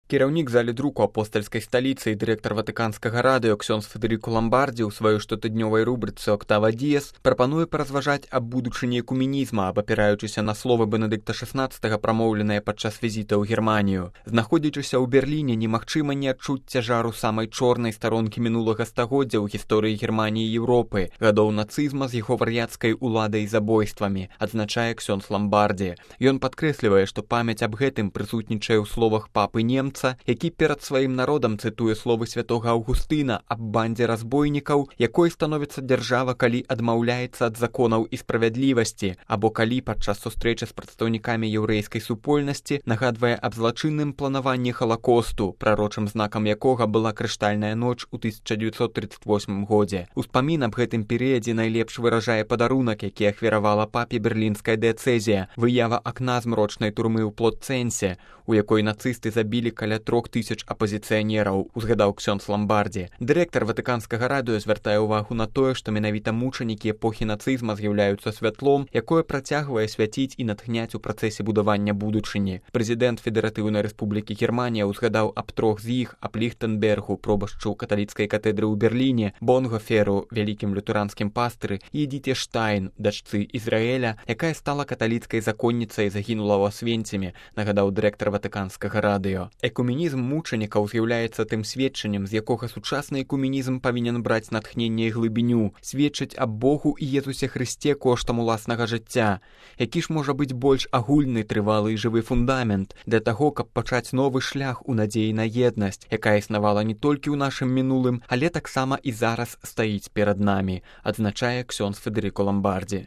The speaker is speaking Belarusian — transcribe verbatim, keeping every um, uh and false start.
Кіраўнік залі друку апостальскай сталіцы і дырэктар ватыканскага радыё ксёндз Федэрыко Ламбардзі ў сваёй штотыднёвай рубрыцы «Октава Діес» прапануе паразважаць аб будучыні экуменізма, абапіраючыся на словы Бенедыкта шаснаццатага, прамоўленыя падчас візіта ў Германію. Знаходзячыся ў Берліне, немагчыма не адчуць цяжару самай чорнай старонкі мінулага стагоддзя ў гісторыі Германіі і Еўропы, гадоў нацызма з яго вар'яцкай уладай і забойствамі, адзначае ксёндз Ламбардзі. Ён падкрэслівае, што памяць аб гэтым прысутнічае ў словах папы немца, які перад сваім народам цытуе словы святога Аўгустына аб бандзе разбойнікаў, якой становіцца дзяржава, калі адмаўляецца ад законаў і справядлівасці, або калі падчас сустрэчы з прадстаўнікамі яўрэйскай супольнасці нагадвае аб злачынным планаванні Халакосту, прарочым знакам якога была крыштальная ноч у тысяча дзевяцьсот трыццаць восьмым годзе. Успамін аб гэтым перыядзе найлепш выражае падарунак, які ахвяравала папе берлінская дыяцэзія, выява акна змрочнай турмы ў Плотцэнсе, у якой нацысты забілі каля трох тысяч апозіцыянераў, узгадаў ксёндз Ламбардзі. Дырэктар ватыканскага радыё звяртае ўвагу на тое, што менавіта мучанікі эпохі нацызма з'яўляюцца святлом, якое працягвае свяціць і натхняць у працэсе будавання будучыні. Прэзідэнт Федэратыўнай Рэспублікі Германія ўзгадаў аб трох з іх, аб Ліхтэнбергу, пробашчу каталіцкай катедры ў Берліне, Бонгоферу, вялікім лютэранскім пастыры, і Эдіце Штайн, дачцы Ізраэля, якая стала каталіцкай законніцай і загінула ў Асвенцімі, нагадаў дырэктар ватыканскага радыё. Экуменізм мучанікаў з'яўляецца тым сведчаннем, з якога сучасны экуменізм павінен браць натхненне і глыбіню, сведчыць аб Богу і Езусе Хрысце коштам уласнага жыцця. Які ж можа быць больш агульны, трывалы і жывы фундамент для таго, каб пачаць новы шлях у надзеі на еднасць, якая існавала не толькі ў нашым мінулым, але таксама і зараз стаіць перад намі, адзначае ксёндз Федэрыко Ламбардзі.